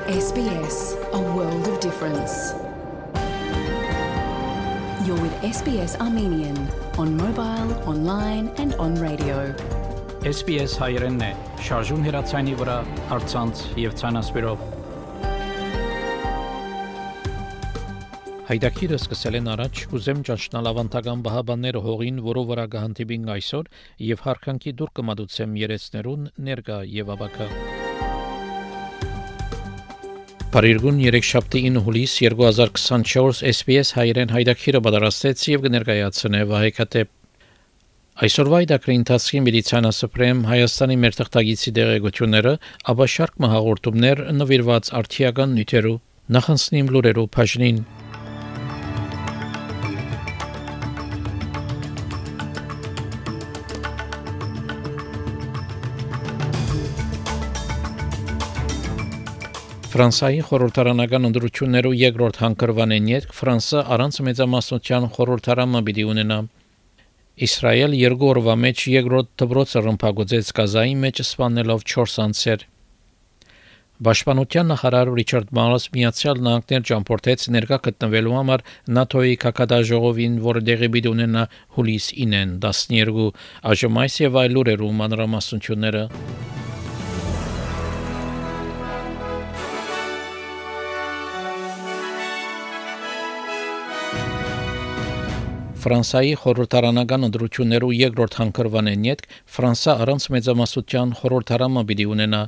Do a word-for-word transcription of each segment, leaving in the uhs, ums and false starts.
S B S, a world of difference. You're with S B S Armenian on mobile, online and on radio. S B S հայերենն է, շարժուն հեռացանի վրա, առցանց եւ ցանասպիրով։ Հայդակիրը սկսել են առաջ, կուզեմ ճանչնալ ավանդական բահաբանները հողին, որով վրա կհանդիպին այսօր եւ հարկանքի դուր կմատուցեմ երեցներուն ներկա եւ ավակա։ Փարիգուն երեքշաբթի ինը հուլիս երկու հազար քսանչորս S B S հայերեն հայդակիրը պատրաստեց եւ կներկայացնե Վահեկատեպ։ Այսօրվա այդակրի ընթացքի մեդիցինասպրեմ Հայաստանի մեր թղթագիտի դերակցությունները, ապա շարք մահաղորդումներ նվիրված արդիական նյութերու նախանցնիմ լուրերու բաժնին։ Ֆրանսիայի խորհրդարանական ընդրություններու երկրորդ հանգրվանեն յետք Ֆրանսա առանց մեծամասնության խորհրդարանը պիտի ունենա։ Իսրայել երկու օրվա մեջ երկրորդ դպրոցը ռմբակոծեց Գազայի մեջ սպանելով չորս անձեր։ Պաշտպանության նախարար Ռիչարդ Մալս Միացյալ Նահանգներ ճամփորդեց ներկա գտնվելու համար ՆԱՏՕ-ի Կակադաժողովին, որը դեղի պիտի ունենա հուլիս ինեն տասներկու, այժմ այս եւ այլ լուրերու մանրամասնությունները։ Ֆրանսիայի խորհրդարանական ընդրություններու երկրորդ հանգրվանեն յետք Ֆրանսա առանց մեծամասնության խորհրդարանը պիտի ունենա։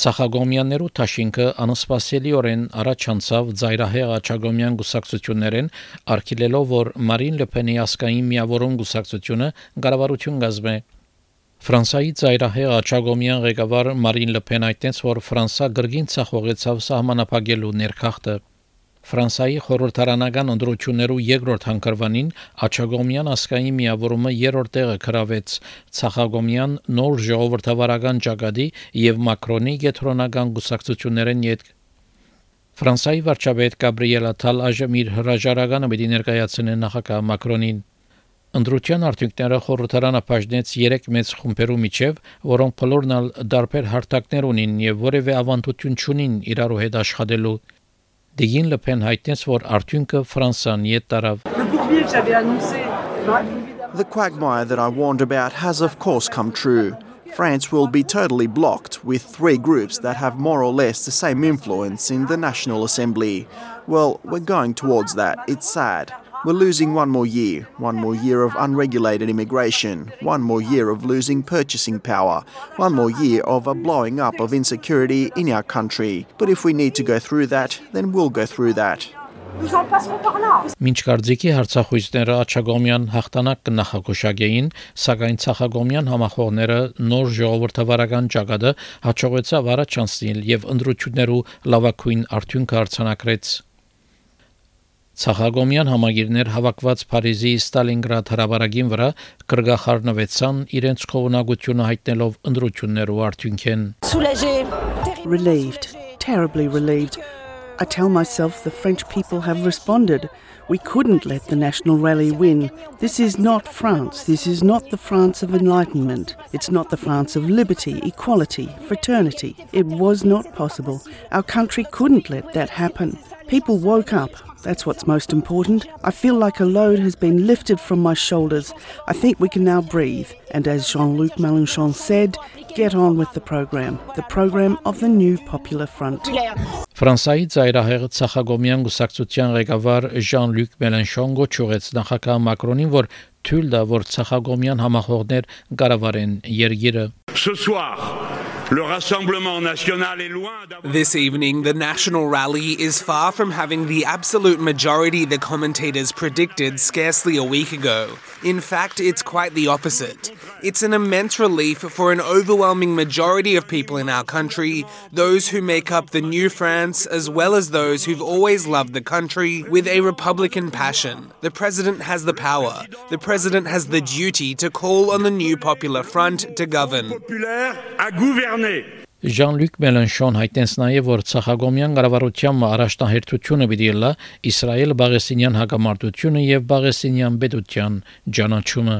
Ցախագոմյաններու թաշինքը անսպասելիորեն առաջանցավ ծայրահեղ աչագոմյան գուսակցություններեն, արգելելով, որ Մարին Լեփենի ասկային միավորում գուսակցությունը կառավարություն կազմի։ Ֆրանսիայի ծայրահեղ աչագոմյան ղեկավար Մարին Լեփեն այդտենց, որ Ֆրանսա գրգին ցախողեցավ սահմանափակելու ներքախտը։ Ֆրանսիայի խորհրդարանական ընդրություններու երկրորդ հանգրվանին աչագոմյան ասկային միավորումը երրորդ տեղը գրավեց ցախագոմյան նոր ժողովրդավարական ճակատի եւ Մակրոնի գետրոնական գուսակցություններեն յետք։ Ֆրանսիայի վարչապետ Գաբրիել Աթալ այժմ իր հրաժարականը պիտի ներկայացնի նախագահ Մակրոնին։ Ընդրության արդյունքները խորհրդարանը բաժնեց երեք մեծ խումբերու միջև, որոնք բոլորն ալ դարբեր հարթակներ ունին եւ որևէ ավանդություն չունին իրարու հետ աշխատելու։ Դիգին Լեփեն հայտնեց, որ արդյունքը Ֆրանսան յետ տարավ։ The quagmire that I warned about has of course come true. France will be totally blocked with three groups that have more or less the same influence in the National Assembly. Well, we're going towards that. It's sad. We're losing one more year, one more year of unregulated immigration, one more year of losing purchasing power, one more year of a blowing up of insecurity in our country. But if we need to go through that, then we'll go through that. Մինչ կարծիքի հարցախույցները աչագոմյան հաղթանակ կնախագուշակեին, սակայն ցախագոմյան համախոհները նոր ժողովրդավարական ճակատը հաջողեցավ առաջանցնել եւ ընդրություններու լավագույն արդյունքը արձանագրեց։ Ցախագոմյան համագիրներ հավաքված Փարիզի Ստալինգրադ հրաբարագին վրա կրգախառնվեցան իրենց խողունակությունը հայտնելով ընդրություններու արդյունքեն։ Relieved, terribly relieved. I tell myself the French people have responded. We couldn't let the National Rally win. This is not France. This is not the France of enlightenment. It's not the France of liberty, equality, fraternity. It was not possible. Our country couldn't let that happen. People woke up. That's what's most important. I feel like a load has been lifted from my shoulders. I think we can now breathe. And as Jean-Luc Mélenchon said, get on with the program. The program of the new Popular Front. Ֆրանսիայի ծայրահեղ ցախագոմյան գուսակցության ղեկավար Jean-Luc Mélenchon գոչուեց նախագահ Մակրոնին, որ թույլ տա, որ ցախագոմյան համախոհներ կառավարեն երկիրը։ Ce soir, le Rassemblement national est loin d'avoir... This evening, the National Rally is far from having the absolute majority the commentators predicted scarcely a week ago. In fact, it's quite the opposite. It's an immense relief for an overwhelming majority of people in our country, those who make up the new France, as well as those who've always loved the country with a Republican passion. The president has the power. The president has the duty to call on the new Popular Front to govern. Jean-Luc Mélenchon հայտնեց նաև, որ ցախագոմյան կառավարության առաջնահերթությունը պիտի լա Իսրայել-Պաղեստինյան հակամարտությունը եւ Պաղեստինյան պետության ճանաչումը.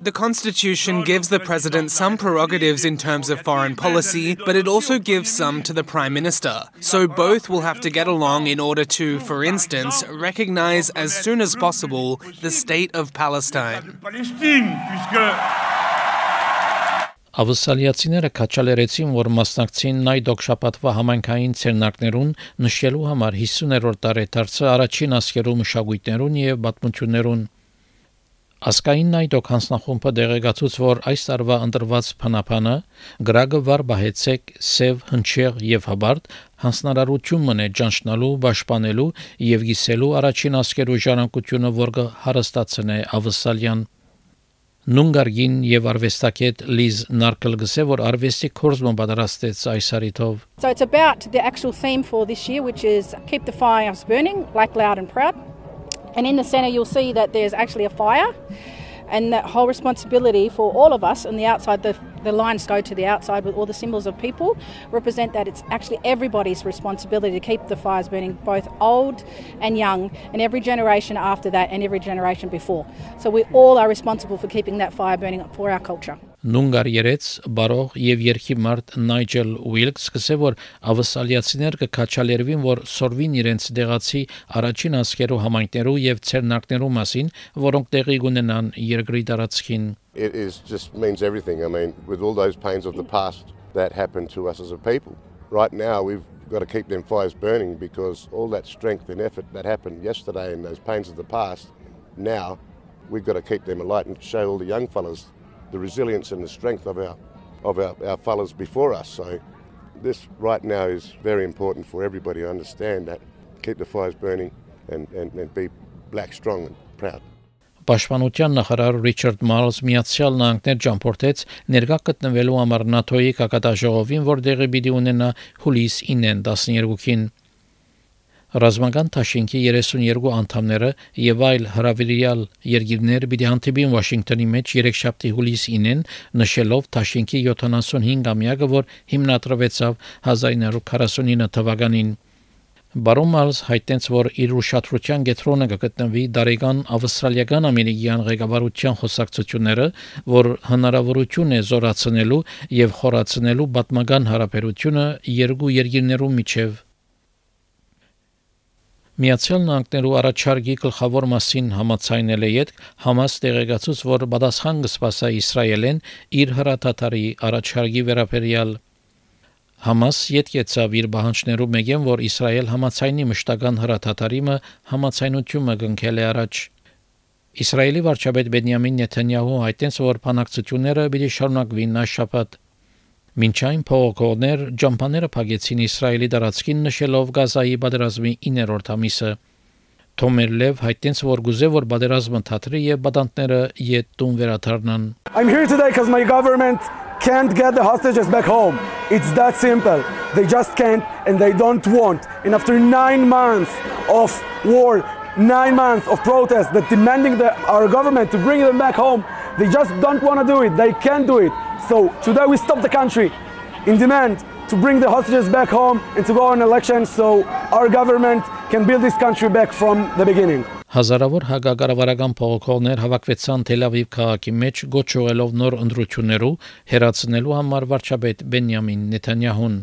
The Constitution gives the President some prerogatives in terms of foreign policy, but it also gives some to the Prime Minister. So both will have to get along in order to, for instance, recognize as soon as possible the State of Palestine. Ավսալիացիները քաչալերեցին, որ մասնակցին նայդոկ շաբաթվա համայնքային ցերնակներուն նշելու համար հիսուներորդ տարեդարձը առաջին ասկերու մշակույթներուն եւ պատմություններուն. Ասկային նայդոկ հանձնախումբը դեղեկացուց, որ այս տարվա ընտրված փանապանը գրագը վար բահեցեք սև հնչեղ եւ հաբարտ հանձնարարություն մնե ճանչնալու, պաշտպանելու եւ գիսելու առաջին ասկերու ժառանգությունը, որ հարստացնե ավսալյան. Նունգարգին եւ արվեստագետ Լիզ Նարկել գսե, որ արվեստի կորզումը պատրաստեց այս հարիթով. So it's about the actual theme for this year, which is keep the fires burning, black, loud and proud. And in the centre you'll see that there's actually a fire, and that whole responsibility for all of us on the outside, the, the lines go to the outside with all the symbols of people, represent that it's actually everybody's responsibility to keep the fires burning, both old and young, and every generation after that and every generation before. So we all are responsible for keeping that fire burning for our culture. Նունգար երեց բարող եւ երկի մարդ Նայջել Ուիլքս գսե, որ ավսալիացիներ կքաչալերվին, որ սորվին իրենց դեղացի առաջին ասկերու համայնքներու եւ ցերնակներու մասին, որոնք տեղի կունենան երկրի տարածքին. It is just means everything. I mean, with all those pains of the past that happened to us as a people. Right now we've got to keep them fires burning, because all that strength and effort that happened yesterday and those pains of the past, now we've got to keep them alight and show all the young fellas the resilience and the strength of our of our, our fellas before us. So this right now is very important for everybody to understand that. Keep the fires burning and, and, and be black, strong and proud. Պաշտպանության նախարար Ռիչարդ Մալզ Միացյալ Նահանգներ ճամփորդեց ներկա գտնվելու համար ՆԱՏՕ-ի կակատաժողովին, որ դեղի պիտի ունենա հուլիս ինը Ռազմական Թաշինքի երեսունյերկու անդամները եւ այլ հրավիրյալ երկիրներ պիտի հանդիպին Վաշինգտոնի մեջ երեքշաբթի հուլիս ինին, նշելով Թաշինքի յոթանասունհինգամյակը, որ հիմնադրվեցավ հազար ինը հարյուր քառասունինը թվականին. Բարոն Մալզ հայտնեց, որ իր ուշադրության կենտրոնը կգտնվի դարեգան ավստրալիական ամերիկյան ղեկավարության խոսակցությունները, որ հնարավորություն է զորացնելու եւ խորացնելու պատմական հարաբերությունը երկու երկիրներու միջև. Միացյալ Նահանգներու առաջարկի գլխավոր մասին համաձայնել է յետ Համաս տեղեկացուց, որ պատասխան կսպասա Իսրայելեն իր հրաթաթարի առաջարկի վերաբերյալ. Համաս յետ կեցավ իր բանջներու մեկեն, որ Իսրայել համաձայնի մշտական հրաթաթարիմը համաձայնությունը կնքել է առաջ. Իսրայելի վարչապետ Բենյամին Նեթանյահու հայտնեց, որ բանակցությունները պիտի շարունակվին այս շաբաթ. Մինչ այն փողոքողներ ջամփաները փակեցին Իսրայելի տարածքին, նշելով Գազայի պատերազմի իններորդ ամիսը. Թոմերլև հայտնեց, որ գուզե որ պատերազմը թատրի եւ բադանտները յետ տուն վերադառնան. I'm here today because my government can't get the hostages back home. It's that simple. They just can't and they don't want. And after nine months of war, nine months of protest that demanding the, our government to bring them back home, they just don't want to do it. They can't do it. So today we stop the country in demand to bring the hostages back home and to go on elections so our government can build this country back from the beginning. Հազարավոր հակակառավարական փողոքողներ հավաքվեցան Թել Ավիվ քաղաքի մեջ, գոչողելով նոր ընտրություններու հերացնելու համար վարչապետ Բենյամին Նեթանյահուն.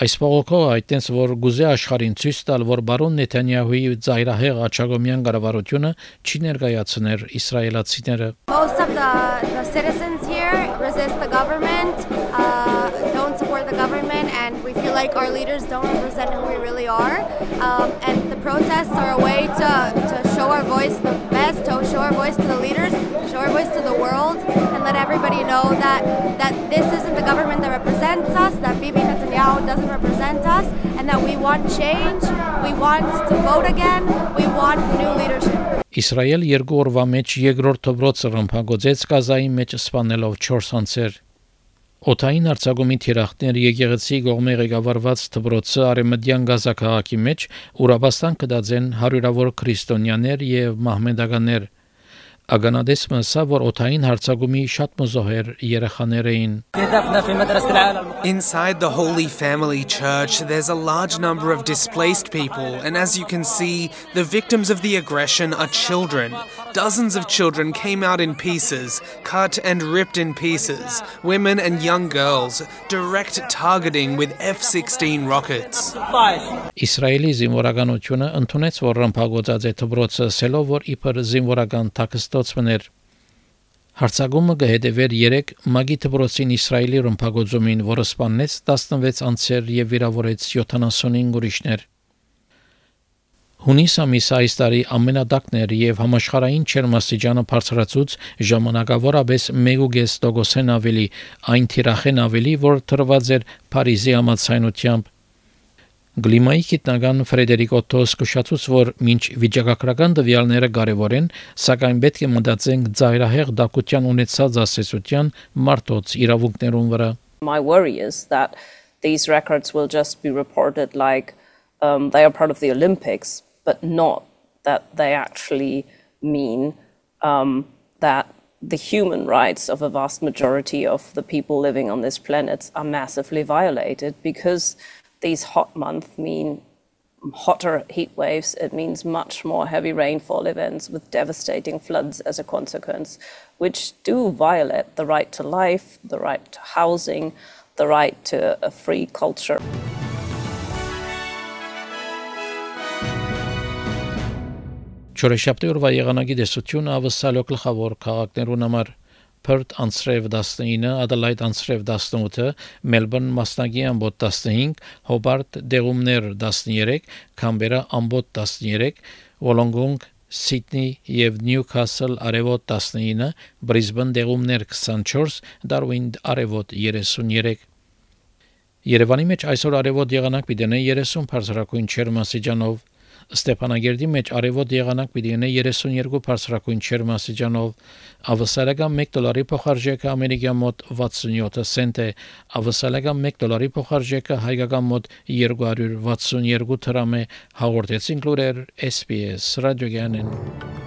Այս փողոքողը այդտենց, որ գուզե աշխարհին ցույց տալ, որ բարոն Նեթանյահուի ծայրահեղ աչագոմյան կառավարությունը չի ներկայացներ իսրայելացիները. Most of the, the citizens here resist the government, uh, don't support the government, and we feel like our leaders don't represent who we really are. Um, and the protests are a way to, to show our voice the best, to show our voice to the leaders, show our voice to the world, and let everybody know that, that this isn't the government that represents us, that Bibi Netanyahu doesn't represent us, and that we want change, we want to vote again, we want new leadership. Իսրայել երկու օրվա մեջ երկրորդ դպրոցը ռմբակոծեց Գազայի մեջ սպանելով չորս անձեր. Օթային արձակումի թիրախներ եկեղեցի կողմի ղեկավարված դպրոցը արևմտյան Գազա քաղաքի մեջ ուրաբաստան կդածեն հարյուրավոր քրիստոնյաներ եւ մահմեդականներ. Ագանադեսը ասա, որ օթային հարցակումի շատ մզոհեր երեխաներ էին։ Inside the Holy Family Church, there's a large number of displaced people, and as you can see, the victims of the aggression are children. Dozens of children came out in pieces, cut and ripped in pieces, women and young girls, direct targeting with F sixteen rockets. Իսրայելի զինվորականությունը ընդունեց, որ ռմբակոծած է դպրոցը, ասելով, որ իբր զինվորական տաքստոցներ։ Հարցակումը կհետևեր երեք մագի դպրոցին Իսրայելի ռմբակոծումին, որը սպանեց տասնվեց անձեր եւ վիրավորեց յոթանասունհինգ ուրիշներ։ Հունիս ամիսը այս տարի ամենադակն էր եւ համաշխարհային ջերմաստիճանը բարձրացուց ժամանակավորապես մեկ կես տոկոսեն ավելի, այն թիրախեն ավելի, որ տրված էր Փարիզի համաձայնությամբ։ Գլիմայի գիտնական Ֆրեդերիկ Օտոս կշացուց, որ մինչ վիճակագրական տվյալները կարևոր են, սակայն պետք է մտածենք ծայրահեղ դակության ունեցած ասացության մարդոց իրավունքներուն վրա։ My worry is that these records will just be reported like um, they are part of the Olympics, but not that they actually mean um, that the human rights of a vast majority of the people living on this planet are massively violated, because these hot months mean hotter heat waves. It means much more heavy rainfall events with devastating floods as a consequence, which do violate the right to life, the right to housing, the right to a free culture. Չորեքշաբթի օրվա եղանակի տեսությունը ավսալո գլխավոր քաղաքներուն համար Perth անցրև տասնինը, Adelaide անցրև տասնութը, Melbourne մասնագի ամբոտ տասնհինգ, Hobart դեղումներ տասներեք, Canberra ամբոտ տասներեք, Wollongong, Sydney եւ Newcastle արևոտ տասնինը, Brisbane դեղումներ քսանչորս, Darwin արևոտ երեսուներեք։ Երևանի մեջ այսօր արևոտ եղանակ պիտի ունենա երեսուն բարձրակույն ջերմաստիճանով, Ստեփանագերդի մեջ արևոտ եղանակ պիտի ունենա երեսունյոթ բարձրակույն ջերմաստիճանով, ավսալական մեկ դոլարի փոխարժեքը ամերիկյան մոտ վաթսունյոթ سنت է, ավսալական մեկ դոլարի փոխարժեքը հայկական մոտ երկու հարյուր վաթսունյոթ դրամ է, հաղորդեցին լուրեր S B S ռադիոգյանեն։